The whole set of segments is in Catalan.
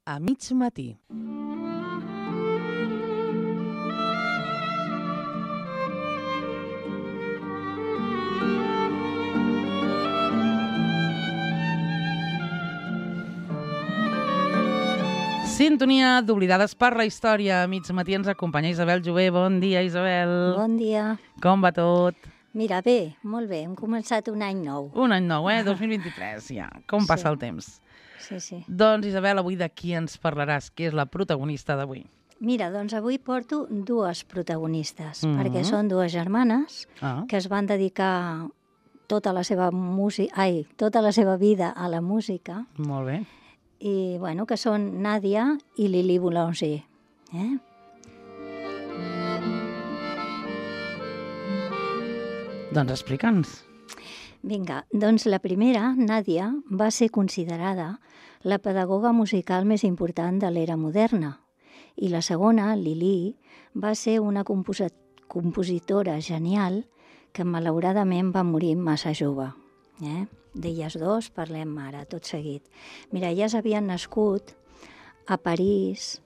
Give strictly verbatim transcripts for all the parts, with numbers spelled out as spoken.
a mig matí. Sintonia d'Oblidades per la Història. A mig matí ens acompanya Isabel Jové. Bon dia, Isabel. Bon dia. Com va tot? Mira, bé, molt bé. Hem començat un any nou. Un any nou, eh? dos mil vint-i-tres, ja. Com passa Sí. el temps. Sí, sí. Doncs, Isabel, avui de qui ens parlaràs? Qui és la protagonista d'avui? Mira, doncs avui porto dues protagonistes, Mhm. perquè són dues germanes Ah, que es van dedicar tota la seva música, ai, tota la seva vida a la música, molt bé. i, bueno, que són Nàdia i Lili Boulanger. Eh? Doncs explica'ns. Vinga, doncs la primera, Nàdia, va ser considerada la pedagoga musical més important de l'era moderna. I la segona, Lili, va ser una composa- compositora genial que malauradament va morir massa jove. Eh? D'elles dos parlem ara, tot seguit. Mira, elles havien nascut a París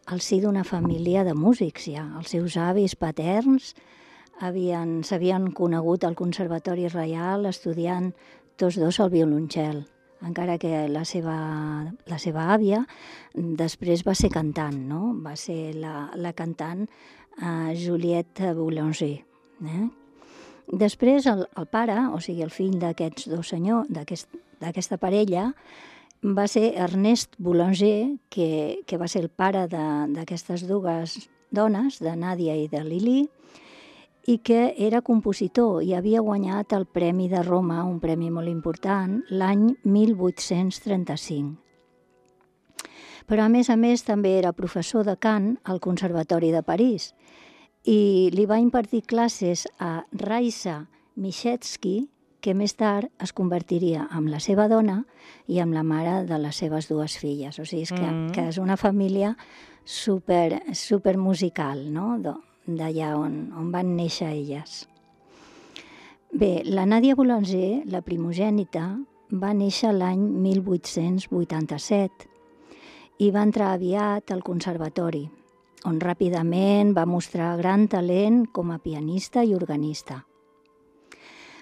al si d'una família de músics ja. Els seus avis paterns havien, s'havien conegut al Conservatori Reial estudiant tots dos el violoncel, encara que la seva, la seva àvia després va ser cantant, no? Va ser la, la cantant uh, Juliette Boulanger. Eh? Després el, el pare, o sigui el fill d'aquests dos senyors, d'aquest, d'aquesta parella, va ser Ernest Boulanger, que, que va ser el pare de- d'aquestes dues dones, de Nàdia i de Lili, i que era compositor i havia guanyat el Premi de Roma, un premi molt important, l'any mil vuit-cents trenta-cinc. Però, a més a més, també era professor de cant al Conservatori de París i li va impartir classes a Raisa Michetski, que més tard es convertiria en la seva dona i en la mare de les seves dues filles. O sigui, és que, Mm. que és una família super, super musical, no?, Do- d'allà on, on van néixer elles. Bé, la Nàdia Boulanger, la primogènita, va néixer l'any mil vuit-cents vuitanta-set i va entrar aviat al conservatori, on ràpidament va mostrar gran talent com a pianista i organista.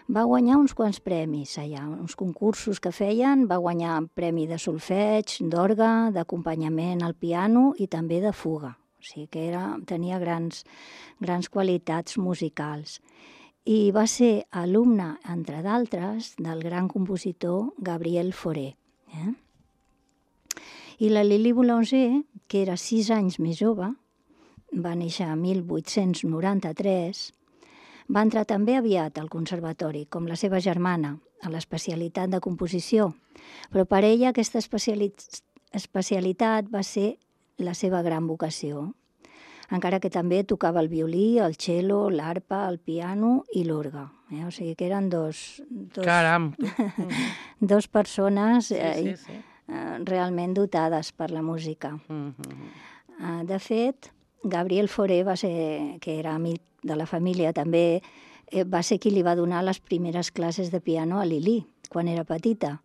Va guanyar uns quants premis allà, uns concursos que feien, va guanyar premi de solfeig, d'orgue, d'acompanyament al piano i també de fuga. O sigui que era, tenia grans, grans qualitats musicals. I va ser alumne, entre d'altres, del gran compositor Gabriel Fauré. Eh? I la Lili Boulanger, que era sis anys més jove, va néixer a mil vuit-cents noranta-tres, va entrar també aviat al conservatori, com la seva germana, a l'especialitat de composició, però per ella aquesta especiali- especialitat va ser la seva gran vocació, encara que també tocava el violí, el cello, l'arpa, el piano i l'orgue. Eh? O sigui que eren dos, dos, Caram, tu. dos persones Sí, eh, sí, sí. eh, realment dotades per la música. Mhm. Uh, de fet, Gabriel Fauré, va ser, que era amic de la família, també eh, va ser qui li va donar les primeres classes de piano a Lili, quan era petita.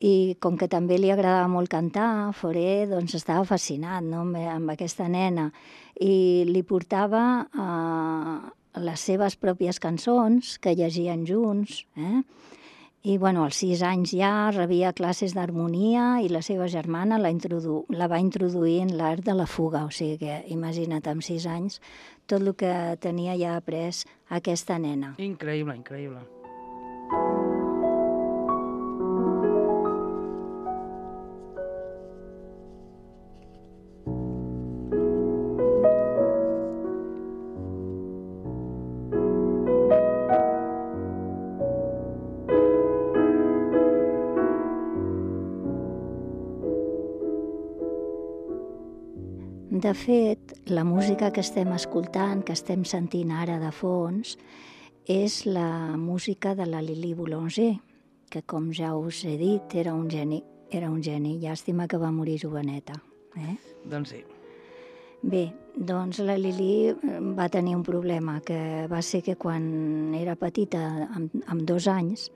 I com que també li agradava molt cantar, Fauré doncs, estava fascinat, no?, amb, amb aquesta nena i li portava uh, les seves pròpies cançons que llegien junts, eh? I, bueno, als sis anys ja rebia classes d'harmonia i la seva germana la, introdu la va introduir en l'art de la fuga. O sigui que, imagina't, amb sis anys, tot el que tenia ja après aquesta nena. Increïble, increïble. De fet, la música que estem escoltant, que estem sentint ara de fons, és la música de la Lili Boulanger, que, com ja us he dit, era un geni. Era un geni. Llàstima que va morir joveneta. Eh? Doncs sí. Bé, doncs la Lili va tenir un problema, que va ser que quan era petita, amb, amb dos anys,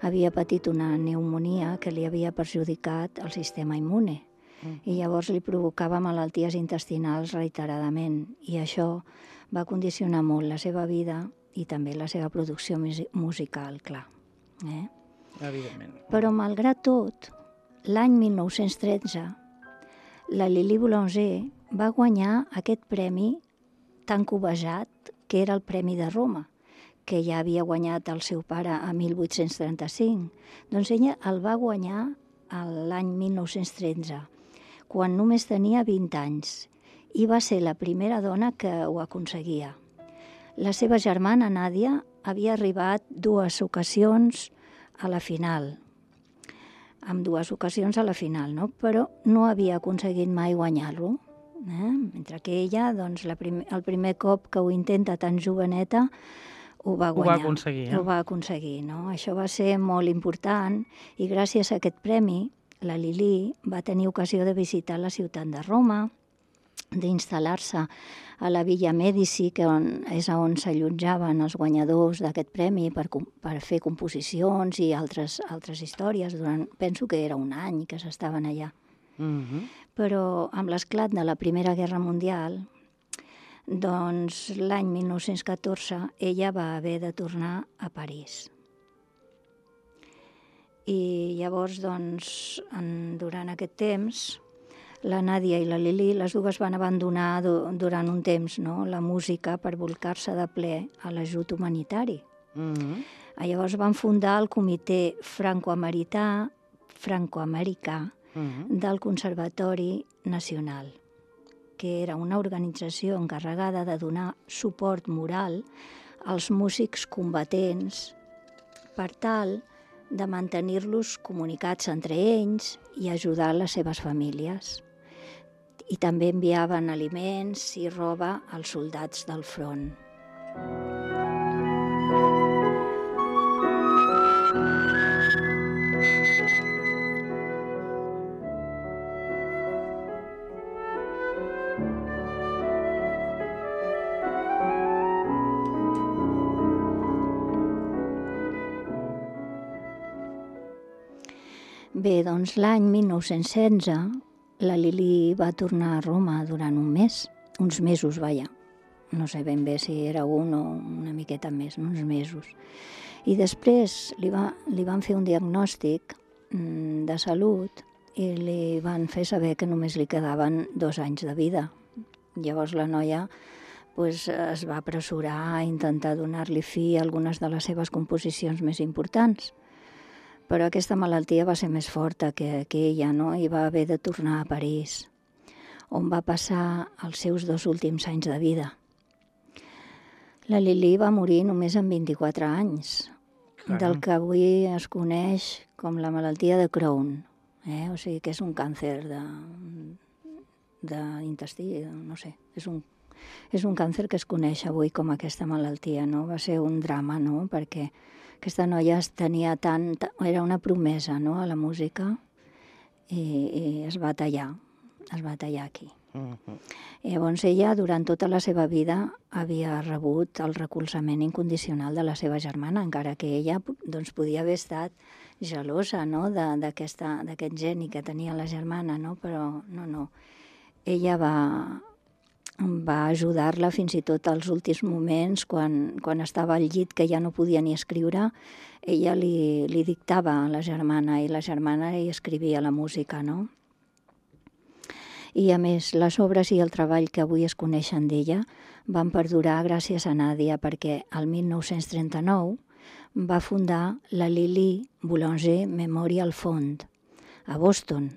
havia patit una pneumonia que li havia perjudicat el sistema immune. i llavors li provocava malalties intestinals reiteradament, i això va condicionar molt la seva vida i també la seva producció musical, clar. Eh? Evidentment. Però, malgrat tot, l'any mil nou-cents tretze, la Lili Boulanger va guanyar aquest premi tan cobejat, que era el Premi de Roma, que ja havia guanyat el seu pare a mil vuit-cents trenta-cinc. Doncs ella el va guanyar l'any mil nou-cents tretze, quan només tenia vint anys, i va ser la primera dona que ho aconseguia. La seva germana, Nàdia, havia arribat dues ocasions a la final, amb dues ocasions a la final, no? Però no havia aconseguit mai guanyar-lo. Eh? Mentre que ella, doncs, la prim el primer cop que ho intenta tan joveneta, ho va guanyar. Ho va aconseguir, eh? Ho va aconseguir, no? Això va ser molt important, i gràcies a aquest premi, la Lili va tenir ocasió de visitar la ciutat de Roma, d'instal·lar-se a la Villa Medici, que on, és on s'allotjaven els guanyadors d'aquest premi per, per fer composicions i altres, altres històries. Durant, penso que era un any que s'estaven allà. Mm-hmm. Però amb l'esclat de la Primera Guerra Mundial, doncs l'any mil nou-cents catorze ella va haver de tornar a París. I llavors, doncs, en, durant aquest temps, la Nàdia i la Lili, les dues van abandonar do, durant un temps, no?, la música per volcar-se de ple a l'ajut humanitari. Mm-hmm. Llavors van fundar el Comitè Franco-Americà Franco-Americà Mm-hmm. del Conservatori Nacional, que era una organització encarregada de donar suport moral als músics combatents per tal de mantenir-los comunicats entre ells i ajudar les seves famílies. I també enviaven aliments i roba als soldats del front. Bé, doncs l'any mil nou-cents setze la Lili va tornar a Roma durant un mes, uns mesos, vaja. No sé ben bé si era un o una miqueta més, no? Uns mesos. I després li, va, li van fer un diagnòstic mm, de salut i li van fer saber que només li quedaven dos anys de vida. Llavors la noia pues, es va apressurar a intentar donar-li fi a algunes de les seves composicions més importants. Però aquesta malaltia va ser més forta que, que ella, no? I va haver de tornar a París, on va passar els seus dos últims anys de vida. La Lili va morir només amb vint-i-quatre anys, Caram. Del que avui es coneix com la malaltia de Crohn, eh? O sigui que és un càncer de, d'intestí, no sé, és un, és un càncer que es coneix avui com aquesta malaltia, no? Va ser un drama, no? Perquè aquesta noia tenia tant, era una promesa, no?, a la música, i, i es va tallar, es va tallar aquí. Uh-huh. Llavors ella, durant tota la seva vida, havia rebut el recolzament incondicional de la seva germana, encara que ella doncs, podia haver estat gelosa, no?, d'aquest geni que tenia la germana, no? Però no, no. Ella va, va ajudar-la fins i tot als últims moments, quan, quan estava al llit que ja no podia ni escriure, ella li, li dictava a la germana i la germana hi escrivia la música, no? I a més, les obres i el treball que avui es coneixen d'ella van perdurar gràcies a Nàdia, perquè el mil nou-cents trenta-nou va fundar la Lili Boulanger Memorial Fund a Boston,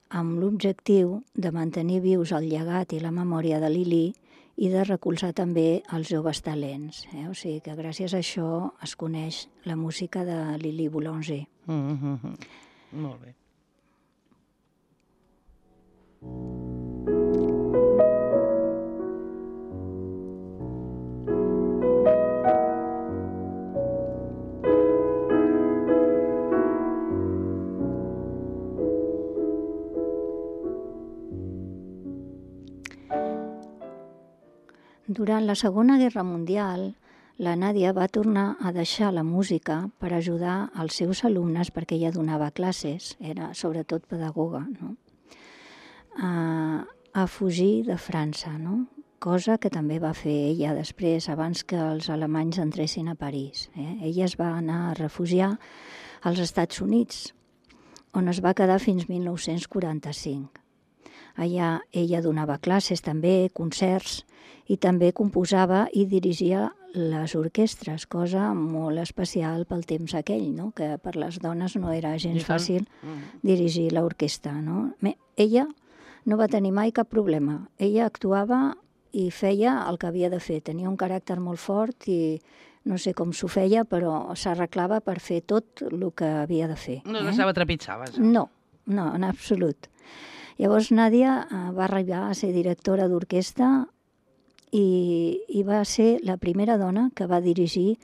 amb l'objectiu de mantenir vius el llegat i la memòria de Lili i de recolzar també els joves talents. Eh? O sigui que gràcies a això es coneix la música de Lili Boulanger. Mm-hmm. Molt bé. Durant la Segona Guerra Mundial, la Nàdia va tornar a deixar la música per ajudar els seus alumnes, perquè ella donava classes, era sobretot pedagoga, no? a, a fugir de França, no? Cosa que també va fer ella després, abans que els alemanys entressin a París. Eh? Ella es va anar a refugiar als Estats Units, on es va quedar fins mil nou-cents quaranta-cinc. Allà ella donava classes també, concerts, i també composava i dirigia les orquestres, cosa molt especial pel temps aquell, no? Que per les dones no era gens fàcil dirigir l'orquestra. No? Ella no va tenir mai cap problema. Ella actuava i feia el que havia de fer. Tenia un caràcter molt fort i no sé com s'ho feia, però s'arreglava per fer tot el que havia de fer. No es deixava trepitjar, vaja. No, no, en absolut. Llavors Nàdia va arribar a ser directora d'orquestra i, i va ser la primera dona que va dirigir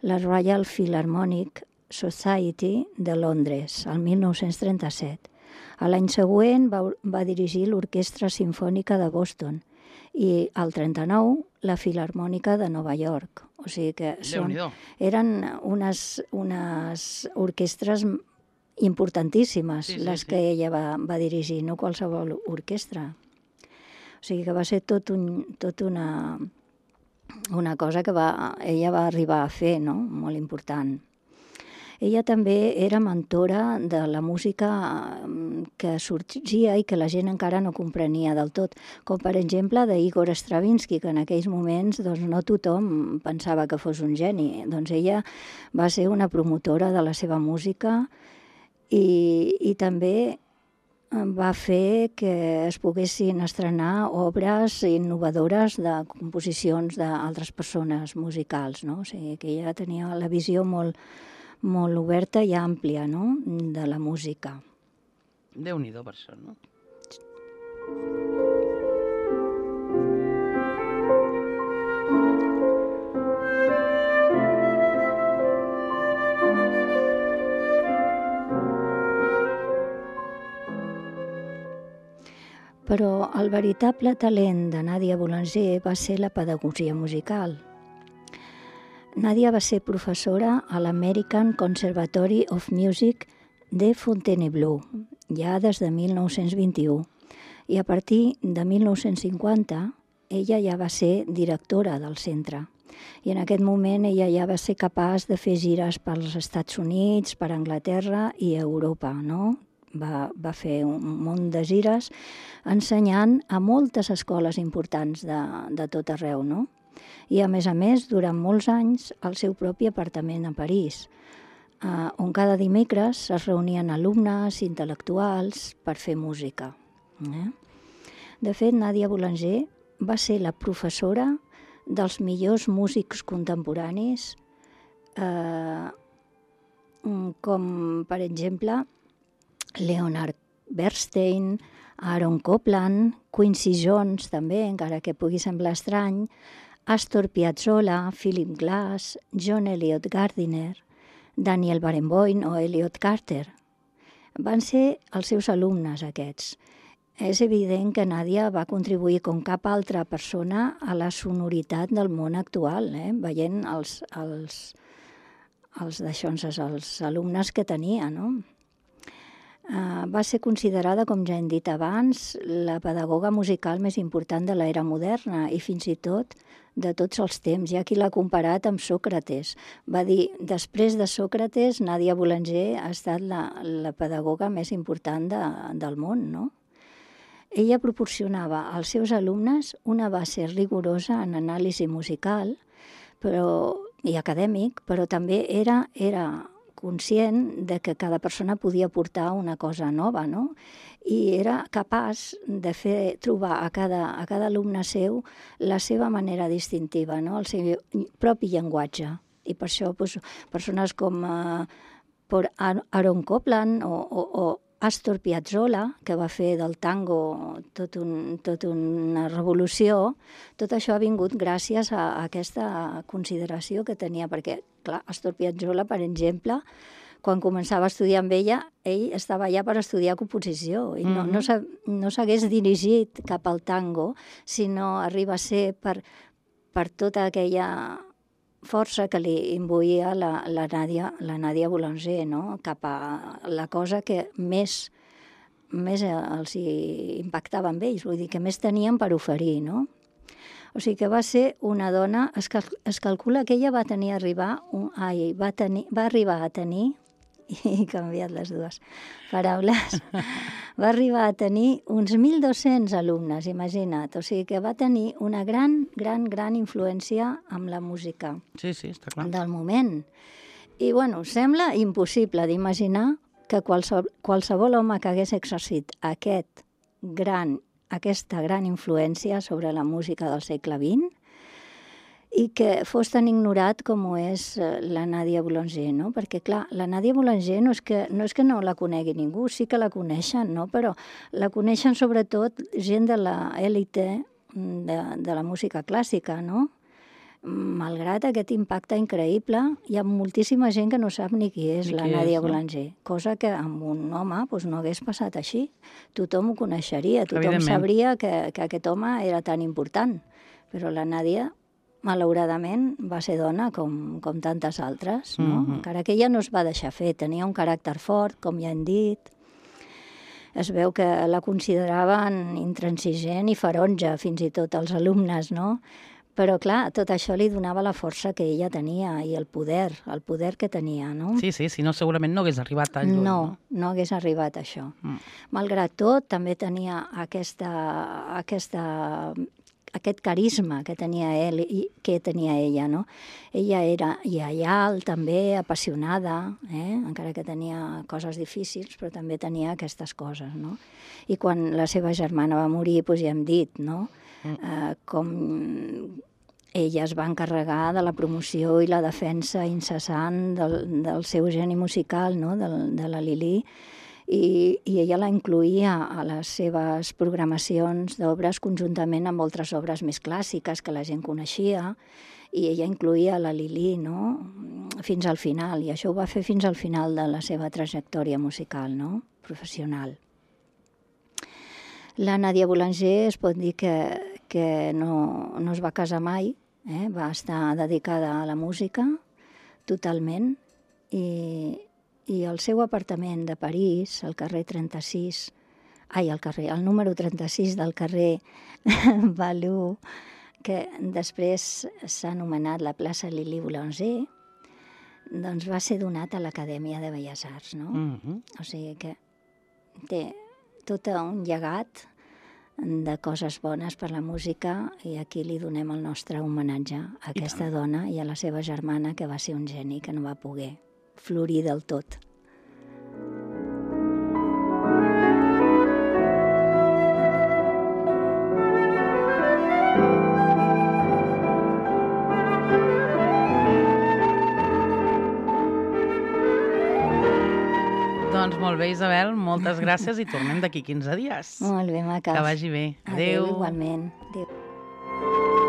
la Royal Philharmonic Society de Londres, el mil nou-cents trenta-set. A l'any següent va, va dirigir l'Orquestra Simfònica de Boston i al trenta-nou la Filharmònica de Nova York. O sigui que són, eren unes, unes orquestres importantíssimes, sí, sí, les sí. que ella va, va dirigir, no qualsevol orquestra. O sigui que va ser tot, un, tot una, una cosa que va, ella va arribar a fer, no? Molt important. Ella també era mentora de la música que sorgia i que la gent encara no comprenia del tot, com per exemple d'Igor Stravinsky, que en aquells moments doncs, no tothom pensava que fos un geni. Doncs ella va ser una promotora de la seva música i, i també va fer que es poguessin estrenar obres innovadores de composicions d'altres persones musicals, no? O sigui que ella tenia la visió molt molt oberta i àmplia, no?, de la música. Déu-n'hi-do per això, no? Però el veritable talent de Nàdia Boulanger va ser la pedagogia musical. Nàdia va ser professora a l'American Conservatory of Music de Fontainebleau, ja des de mil nou-cents vint-i-u. I a partir de mil nou-cents cinquanta, ella ja va ser directora del centre. I en aquest moment ella ja va ser capaç de fer gires pels Estats Units, per Anglaterra i Europa, no? Va, va fer un munt de gires ensenyant a moltes escoles importants de, de tot arreu, no? I, a més a més, durant molts anys, el seu propi apartament a París, eh, on cada dimecres es reunien alumnes, intel·lectuals, per fer música. Eh? De fet, Nàdia Boulanger va ser la professora dels millors músics contemporanis, eh, com, per exemple, Leonard Bernstein, Aaron Copland, Quincy Jones, també, encara que pugui semblar estrany, Astor Piazzolla, Philip Glass, John Eliot Gardiner, Daniel Barenboim o Elliot Carter. Van ser els seus alumnes, aquests. És evident que Nàdia va contribuir com cap altra persona a la sonoritat del món actual, eh? Veient els, els, els, els alumnes que tenia, no? Uh, va ser considerada, com ja hem dit abans, la pedagoga musical més important de l'era moderna i fins i tot de tots els temps. Hi ha qui l'ha comparat amb Sòcrates. Va dir, després de Sòcrates, Nàdia Boulanger ha estat la, la pedagoga més important de, del món, no? Ella proporcionava als seus alumnes una base rigorosa en anàlisi musical però, i acadèmic, però també era... era conscient de que cada persona podia portar una cosa nova, no? I era capaç de fer trobar a cada, a cada alumne seu la seva manera distintiva, no? El seu propi llenguatge. I per això doncs, persones com uh, Aaron Copland o, o, o Astor Piazzolla, que va fer del tango tot, un, tot una revolució, tot això ha vingut gràcies a, a aquesta consideració que tenia, perquè, clar, Astor Piazzolla, per exemple, quan començava a estudiar amb ella, ell estava allà per estudiar composició i no, mm-hmm. no s'hagués dirigit cap al tango, sinó arriba a ser per, per tota aquella força que li imbuïa la, la, Nàdia, la Nàdia Boulanger, no? Cap a la cosa que més més els impactava amb ells, vull dir que més tenien per oferir, no? O sigui que va ser una dona, es, cal, es calcula que ella va tenir arribar, un, ai, va, tenir, va arribar a tenir, i he canviat les dues paraules, va arribar a tenir uns mil dos-cents alumnes, imagina't. O sigui que va tenir una gran, gran, gran influència amb la música sí, sí, està clar. del moment. I, bueno, sembla impossible d'imaginar que qualsevol, qualsevol home que hagués exercit aquest gran aquesta gran influència sobre la música del segle vint i que fos tan ignorat com ho és la Nadia Boulanger, no? Perquè, clar, la Nadia Boulanger no és que no, és que no la conegui ningú, sí que la coneixen, no? Però la coneixen sobretot gent de l'élite de, de la música clàssica, no? Malgrat aquest impacte increïble, hi ha moltíssima gent que no sap ni qui és ni la qui Nadia és, Boulanger, no? Cosa que amb un home doncs, no hagués passat així. Tothom ho coneixeria, tothom sabria que, que aquest home era tan important. Però la Nadia, malauradament, va ser dona com, com tantes altres, no? Mm-hmm. Encara que ella no es va deixar fer, tenia un caràcter fort, com ja hem dit. Es veu que la consideraven intransigent i ferotge, fins i tot els alumnes, no? Però, clar, tot això li donava la força que ella tenia i el poder, el poder que tenia, no? Sí, sí, si no, segurament no hagués arribat tan lluny. No, no, no hagués arribat a això. Mm. Malgrat tot, també tenia aquesta, aquesta, aquest carisma que tenia ell i que tenia ella, no? Ella era lleial, també, apassionada, eh? Encara que tenia coses difícils, però també tenia aquestes coses, no? I quan la seva germana va morir, doncs ja hem dit, no? Uh, com ella es va encarregar de la promoció i la defensa incessant del, del seu geni musical, no? de, de la Lili, i, i ella la incluïa a les seves programacions d'obres conjuntament amb altres obres més clàssiques que la gent coneixia, i ella incluïa la Lili, no? Fins al final, i això ho va fer fins al final de la seva trajectòria musical, no? Professional. La Nadia Boulanger es pot dir que, que no, no es va casar mai, eh? Va estar dedicada a la música totalment, i, i el seu apartament de París, al carrer trenta-sis, ai, al carrer, el número trenta-sis del carrer Balou, que després s'ha anomenat la plaça Lili Boulanger, doncs va ser donat a l'Acadèmia de Belles Arts, no? Mm-hmm. O sigui que té tot un llegat de coses bones per la música, i aquí li donem el nostre homenatge a aquesta dona i a la seva germana, que va ser un geni que no va poder florir del tot. Doncs molt bé, Isabel, moltes gràcies i tornem d'aquí quinze dies. Molt bé, maques. Que vagi bé. Adéu. Adéu, igualment. Adéu.